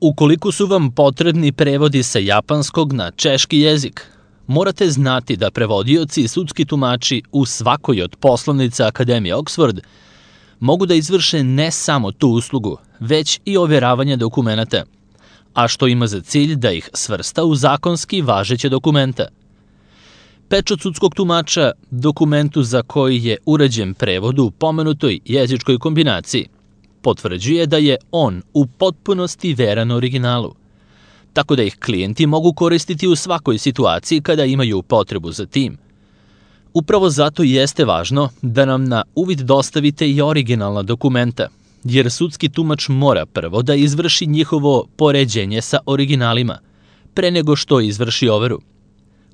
Ukoliko su vam potrebni prevodi sa japanskog na češki jezik, morate znati da prevodioci i sudski tumači u svakoj od poslovnica Akademije Oxford mogu da izvrše ne samo tu uslugu, već i overavanje dokumenata, a što ima za cilj da ih svrsta u zakonski važeće dokumenta. Pečat sudskog tumača, dokumentu za koji je urađen prevod u pomenutoj jezičkoj kombinaciji, potvrđuje da je on u potpunosti veran originalu, tako da ih klijenti mogu koristiti u svakoj situaciji kada imaju potrebu za tim. Upravo zato jeste važno da nam na uvid dostavite i originalna dokumenta, jer sudski tumač mora prvo da izvrši njihovo poređenje sa originalima, pre nego što izvrši overu.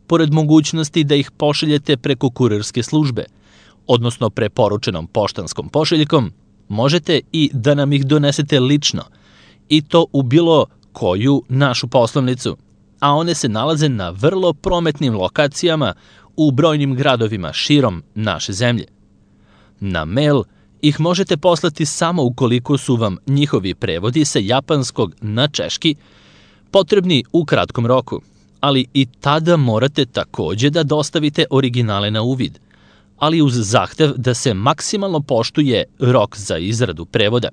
Pored mogućnosti da ih pošaljete preko kurirske službe, odnosno preporučenom poštanskom pošiljkom, možete i da nam ih donesete lično, i to u bilo koju našu poslovnicu, a one se nalaze na vrlo prometnim lokacijama u brojnim gradovima širom naše zemlje. Na mail ih možete poslati samo ukoliko su vam njihovi prevodi sa japanskog na češki potrebni u kratkom roku, ali i tada morate takođe da dostavite originale na uvid, ali uz zahtev da se maksimalno poštuje rok za izradu prevoda,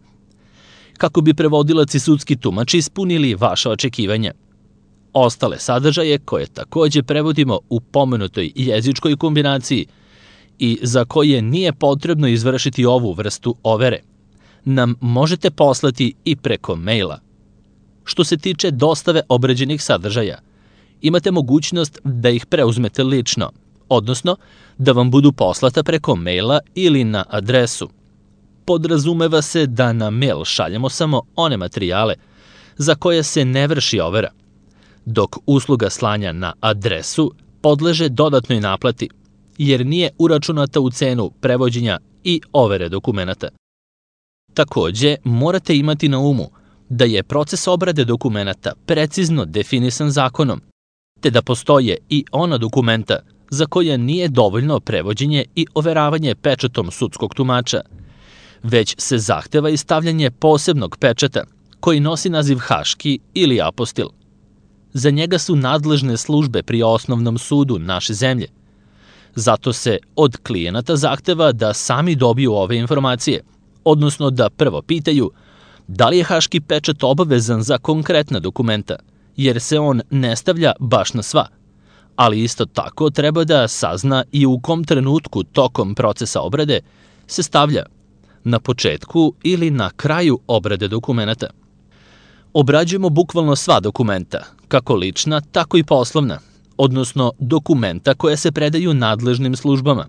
kako bi prevodilac i sudski tumač ispunili vaše očekivanja. Ostale sadržaje, koje takođe prevodimo u pomenutoj jezičkoj kombinaciji i za koje nije potrebno izvršiti ovu vrstu overe, nam možete poslati i preko maila. Što se tiče dostave obrađenih sadržaja, imate mogućnost da ih preuzmete lično, odnosno da vam budu poslata preko maila ili na adresu. Podrazumeva se da na mail šaljemo samo one materijale za koje se ne vrši overa, dok usluga slanja na adresu podleže dodatnoj naplati, jer nije uračunata u cenu prevođenja i overe dokumenata. Takođe, morate imati na umu da je proces obrade dokumenata precizno definisan zakonom, te da postoje i ona dokumenta za koja nije dovoljno prevođenje i overavanje pečatom sudskog tumača, već se zahteva i stavljanje posebnog pečata koji nosi naziv haški ili apostil. Za njega su nadležne službe pri osnovnom sudu naše zemlje. Zato se od klijenata zahteva da sami dobiju ove informacije, odnosno da prvo pitaju da li je haški pečat obavezan za konkretna dokumenta, jer se on ne stavlja baš na sva, ali isto tako treba da sazna i u kom trenutku tokom procesa obrade se stavlja, na početku ili na kraju obrade dokumenta. Obrađujemo bukvalno sva dokumenta, kako lična, tako i poslovna, odnosno dokumenta koje se predaju nadležnim službama,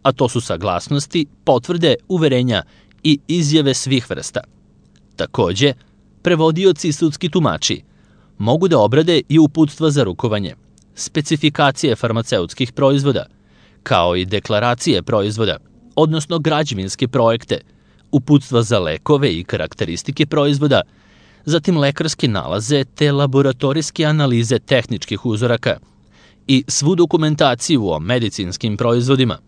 a to su saglasnosti, potvrde, uverenja i izjave svih vrsta. Takođe, prevodioci i sudski tumači mogu da obrade i uputstva za rukovanje, specifikacije farmaceutskih proizvoda, kao i deklaracije proizvoda, odnosno građevinske projekte, uputstva za lekove i karakteristike proizvoda, zatim lekarske nalaze te laboratorijske analize tehničkih uzoraka i svu dokumentaciju o medicinskim proizvodima,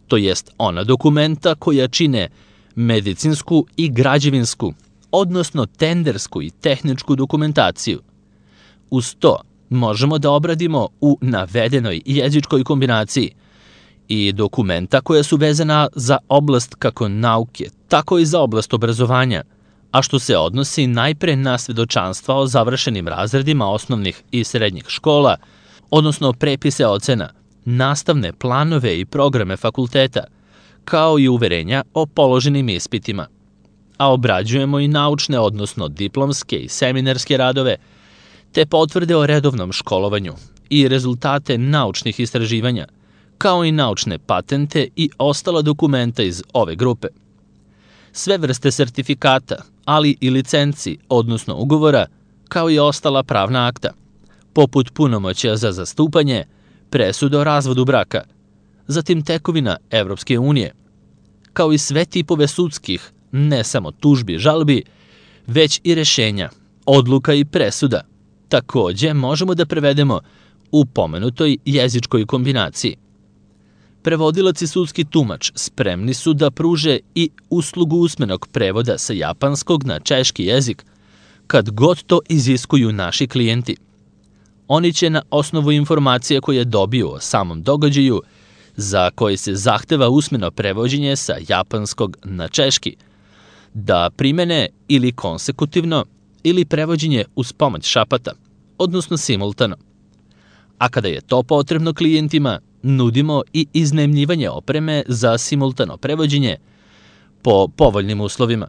to jest ona dokumenta koja čine medicinsku i građevinsku, odnosno tendersku i tehničku dokumentaciju. Uz to možemo da obradimo u navedenoj jezičkoj kombinaciji i dokumenta koja su vezana za oblast kako nauke, tako i za oblast obrazovanja, a što se odnosi najpre na svedočanstva o završenim razredima osnovnih i srednjih škola, odnosno prepise ocena, nastavne planove i programe fakulteta, kao i uverenja o položenim ispitima. A obrađujemo i naučne, odnosno diplomske i seminarske radove, te potvrde o redovnom školovanju i rezultate naučnih istraživanja, kao i naučne patente i ostala dokumenta iz ove grupe. Sve vrste sertifikata, ali i licenci, odnosno ugovora, kao i ostala pravna akta, poput punomoćja za zastupanje, presuda o razvodu braka, zatim tekovina Evropske unije, kao i sve tipove sudskih, ne samo tužbi, žalbi, već i rešenja, odluka i presuda, takođe možemo da prevedemo u pomenutoj jezičkoj kombinaciji. Prevodilac i sudski tumač spremni su da pruže i uslugu usmenog prevoda sa japanskog na češki jezik, kad god to iziskuju naši klijenti. Oni će na osnovu informacija koje dobiju o samom događaju, za koji se zahteva usmeno prevođenje sa japanskog na češki, da primene ili konsekutivno ili prevođenje uz pomoć šapata, odnosno simultano. A kada je to potrebno klijentima, nudimo i iznajmljivanje opreme za simultano prevođenje po povoljnim uslovima.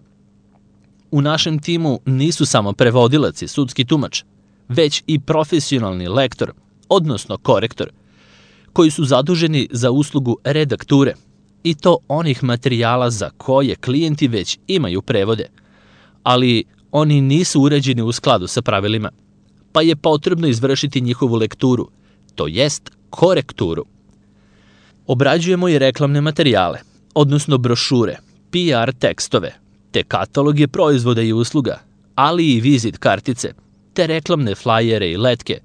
U našem timu nisu samo prevodilac i sudski tumač, već i profesionalni lektor, odnosno korektor, koji su zaduženi za uslugu redakture, i to onih materijala za koje klijenti već imaju prevode, ali oni nisu uređeni u skladu sa pravilima, pa je potrebno izvršiti njihovu lekturu, to jest korekturu. Obrađujemo i reklamne materijale, odnosno brošure, PR tekstove, te kataloge proizvoda i usluga, ali i vizit kartice, te reklamne flajere i letke,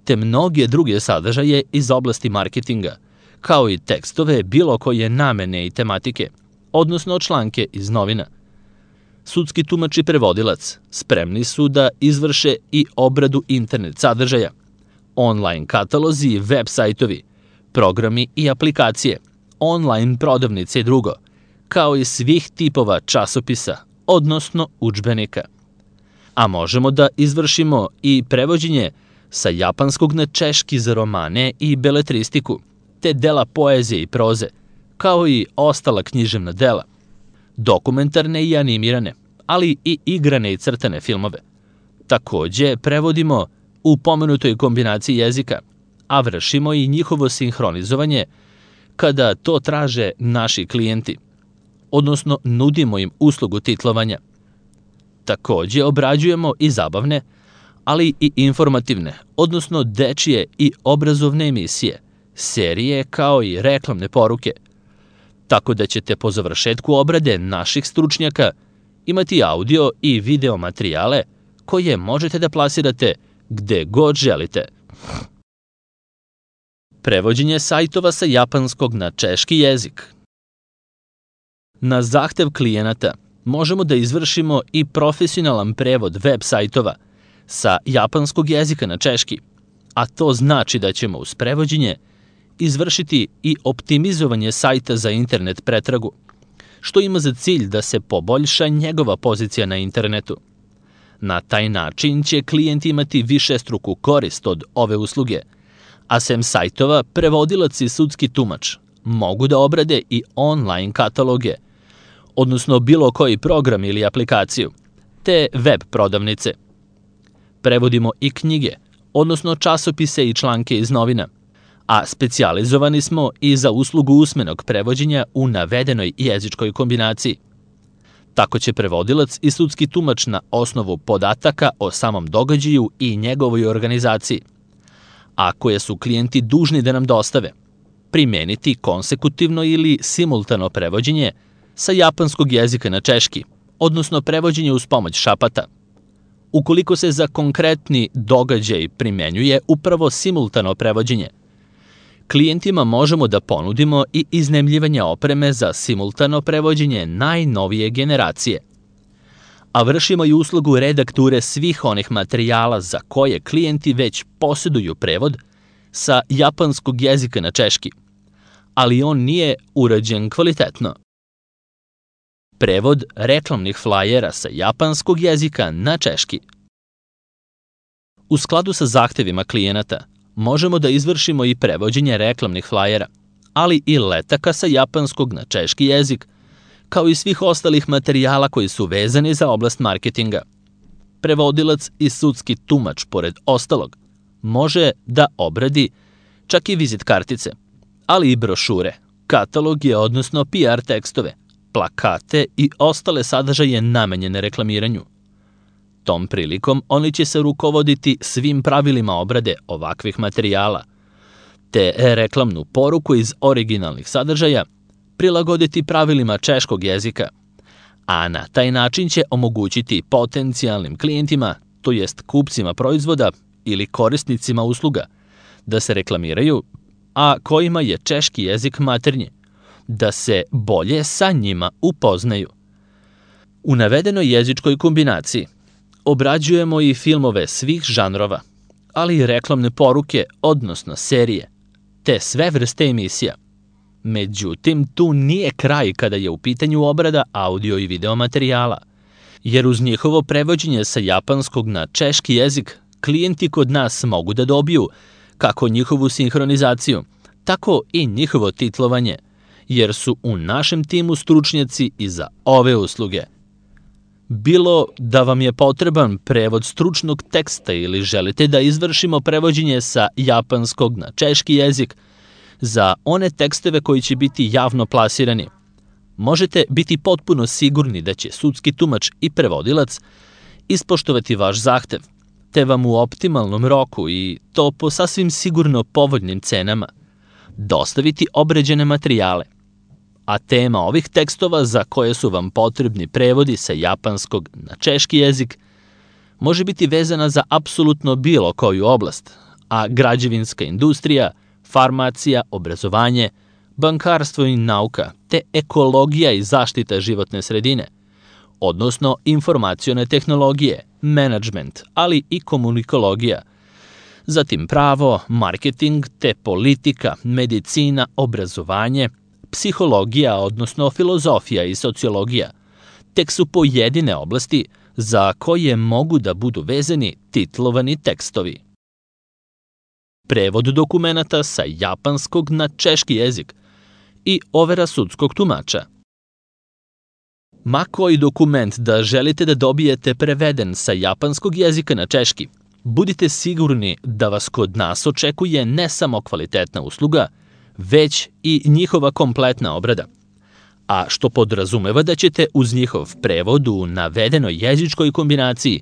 te mnoge druge sadržaje iz oblasti marketinga, kao i tekstove bilo koje namene i tematike, odnosno članke iz novina. Sudski tumač i prevodilac spremni su da izvrše i obradu internet sadržaja, online katalozi i web sajtovi, programi i aplikacije, online prodavnice i drugo, kao i svih tipova časopisa, odnosno udžbenika. A možemo da izvršimo i prevođenje sa japanskog na češki za romane i beletristiku, te dela poezije i proze, kao i ostala književna dela, dokumentarne i animirane, ali i igrane i crtane filmove. Takođe, prevodimo u pomenutoj kombinaciji jezika, a vršimo i njihovo sinhronizovanje kada to traže naši klijenti, odnosno nudimo im uslugu titlovanja. Takođe, obrađujemo i zabavne, ali i informativne, odnosno dečije i obrazovne emisije, serije kao i reklamne poruke, tako da ćete po završetku obrade naših stručnjaka imati audio i video materijale koje možete da plasirate gde god želite. Prevođenje sajtova sa japanskog na češki jezik. Na zahtev klijenata možemo da izvršimo i profesionalan prevod web sajtova sa japanskog jezika na češki, a to znači da ćemo uz prevođenje izvršiti i optimizovanje sajta za internet pretragu, što ima za cilj da se poboljša njegova pozicija na internetu. Na taj način će klijent imati višestruku korist od ove usluge, a sem sajtova, prevodilac i sudski tumač mogu da obrade i online kataloge, odnosno bilo koji program ili aplikaciju, te web prodavnice. Prevodimo i knjige, odnosno časopise i članke iz novina, a specijalizovani smo i za uslugu usmenog prevođenja u navedenoj jezičkoj kombinaciji. Tako će prevodilac i sudski tumač na osnovu podataka o samom događaju i njegovoj organizaciji, a koje su klijenti dužni da nam dostave, primeniti konsekutivno ili simultano prevođenje sa japanskog jezika na češki, odnosno prevođenje uz pomoć šapata. Ukoliko se za konkretni događaj primenjuje upravo simultano prevođenje, klijentima možemo da ponudimo i iznajmljivanje opreme za simultano prevođenje najnovije generacije, a vršimo i uslugu redakture svih onih materijala za koje klijenti već posjeduju prevod sa japanskog jezika na češki, ali on nije urađen kvalitetno. Prevod reklamnih flajera sa japanskog jezika na češki. U skladu sa zahtevima klijenata, možemo da izvršimo i prevođenje reklamnih flajera, ali i letaka sa japanskog na češki jezik, kao i svih ostalih materijala koji su vezani za oblast marketinga. Prevodilac i sudski tumač, pored ostalog, može da obradi čak i vizit kartice, ali i brošure, kataloge, odnosno PR tekstove, plakate i ostale sadržaje namenjene reklamiranju. Tom prilikom oni će se rukovoditi svim pravilima obrade ovakvih materijala, te reklamnu poruku iz originalnih sadržaja prilagoditi pravilima češkog jezika, a na taj način će omogućiti potencijalnim klijentima, to jest kupcima proizvoda ili korisnicima usluga, da se reklamiraju, a kojima je češki jezik maternji, da se bolje sa njima upoznaju. U navedenoj jezičkoj kombinaciji Obrađujemo i filmove svih žanrova, ali i reklamne poruke, odnosno serije, te sve vrste emisija. Međutim, tu nije kraj kada je u pitanju obrada audio i video materijala, jer uz njihovo prevođenje sa japanskog na češki jezik klijenti kod nas mogu da dobiju kako njihovu sinhronizaciju, tako i njihovo titlovanje, jer su u našem timu stručnjaci i za ove usluge. Bilo da vam je potreban prevod stručnog teksta ili želite da izvršimo prevođenje sa japanskog na češki jezik za one tekstove koji će biti javno plasirani, možete biti potpuno sigurni da će sudski tumač i prevodilac ispoštovati vaš zahtev, te vam u optimalnom roku i to po sasvim sigurno povoljnim cenama dostaviti obrađene materijale. A tema ovih tekstova za koje su vam potrebni prevodi sa japanskog na češki jezik može biti vezana za apsolutno bilo koju oblast, a građevinska industrija, farmacija, obrazovanje, bankarstvo i nauka, te ekologija i zaštita životne sredine, odnosno informacione tehnologije, menadžment, ali i komunikologija, zatim pravo, marketing, te politika, medicina, obrazovanje, psihologija, odnosno filozofija i sociologija, tek su pojedine oblasti za koje mogu da budu vezani titlovani tekstovi. Prevod dokumenata sa japanskog na češki jezik i overa sudskog tumača. Ma koji dokument da želite da dobijete preveden sa japanskog jezika na češki, budite sigurni da vas kod nas očekuje ne samo kvalitetna usluga, već i njihova kompletna obrada, a što podrazumeva da ćete uz njihov prevod u navedenoj jezičkoj kombinaciji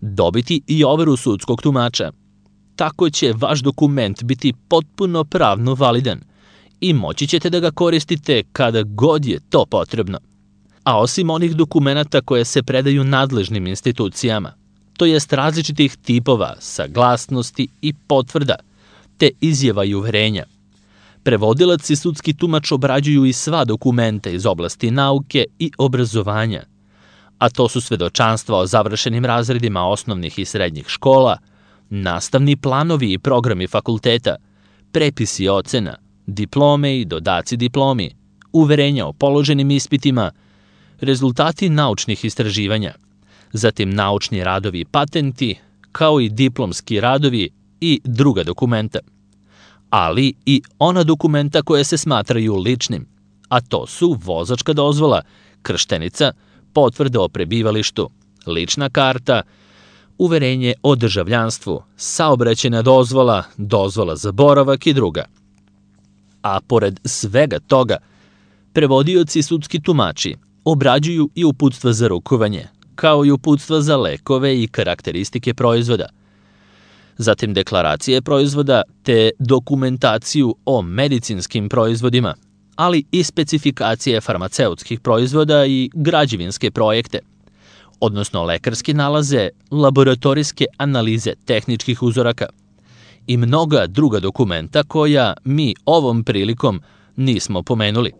dobiti i overu sudskog tumača. Tako će vaš dokument biti potpuno pravno validan i moći ćete da ga koristite kada god je to potrebno. A osim onih dokumenata koje se predaju nadležnim institucijama, to jest različitih tipova, saglasnosti i potvrda, te izjava i uverenja, prevodilac i sudski tumač obrađuju i sva dokumenta iz oblasti nauke i obrazovanja, a to su svedočanstva o završenim razredima osnovnih i srednjih škola, nastavni planovi i programi fakulteta, prepisi ocena, diplome i dodaci diplomi, uverenja o položenim ispitima, rezultati naučnih istraživanja, zatim naučni radovi i patenti, kao i diplomski radovi i druga dokumenta, ali i ona dokumenta koje se smatraju ličnim, a to su vozačka dozvola, krštenica, potvrda o prebivalištu, lična karta, uverenje o državljanstvu, saobraćajna dozvola, dozvola za boravak i druga. A pored svega toga, prevodioci i sudski tumači obrađuju i uputstva za rukovanje, kao i uputstva za lekove i karakteristike proizvoda, zatim deklaracije proizvoda te dokumentaciju o medicinskim proizvodima, ali i specifikacije farmaceutskih proizvoda i građevinske projekte, odnosno lekarske nalaze, laboratorijske analize tehničkih uzoraka i mnoga druga dokumenta koja mi ovom prilikom nismo pomenuli,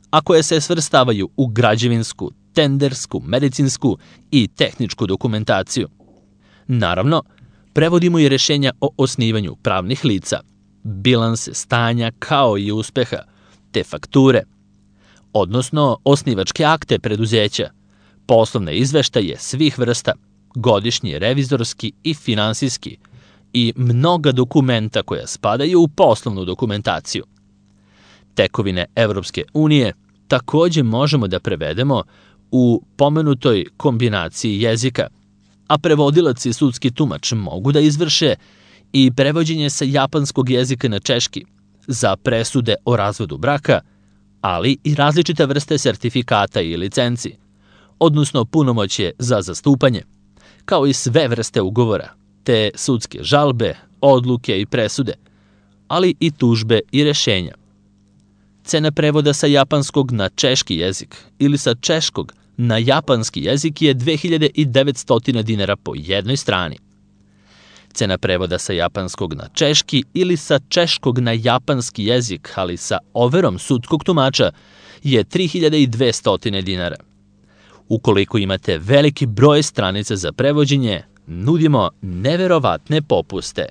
a koje se svrstavaju u građevinsku, tendersku, medicinsku i tehničku dokumentaciju. Naravno, prevodimo i rešenja o osnivanju pravnih lica, bilanse stanja kao i uspeha, te fakture, odnosno osnivačke akte preduzeća, poslovne izveštaje svih vrsta, godišnji, revizorski i finansijski i mnoga dokumenta koja spadaju u poslovnu dokumentaciju. Tekovine Evropske unije takođe možemo da prevedemo u pomenutoj kombinaciji jezika, a prevodilac i sudski tumač mogu da izvrše i prevođenje sa japanskog jezika na češki za presude o razvodu braka, ali i različite vrste sertifikata i licenci, odnosno punomoćje za zastupanje, kao i sve vrste ugovora, te sudske žalbe, odluke i presude, ali i tužbe i rešenja. Cena prevoda sa japanskog na češki jezik ili sa češkog na japanski jezik je 2900 dinara po jednoj strani. Cena prevoda sa japanskog na češki ili sa češkog na japanski jezik, ali sa overom sudskog tumača, je 3200 dinara. Ukoliko imate veliki broj stranica za prevođenje, nudimo neverovatne popuste.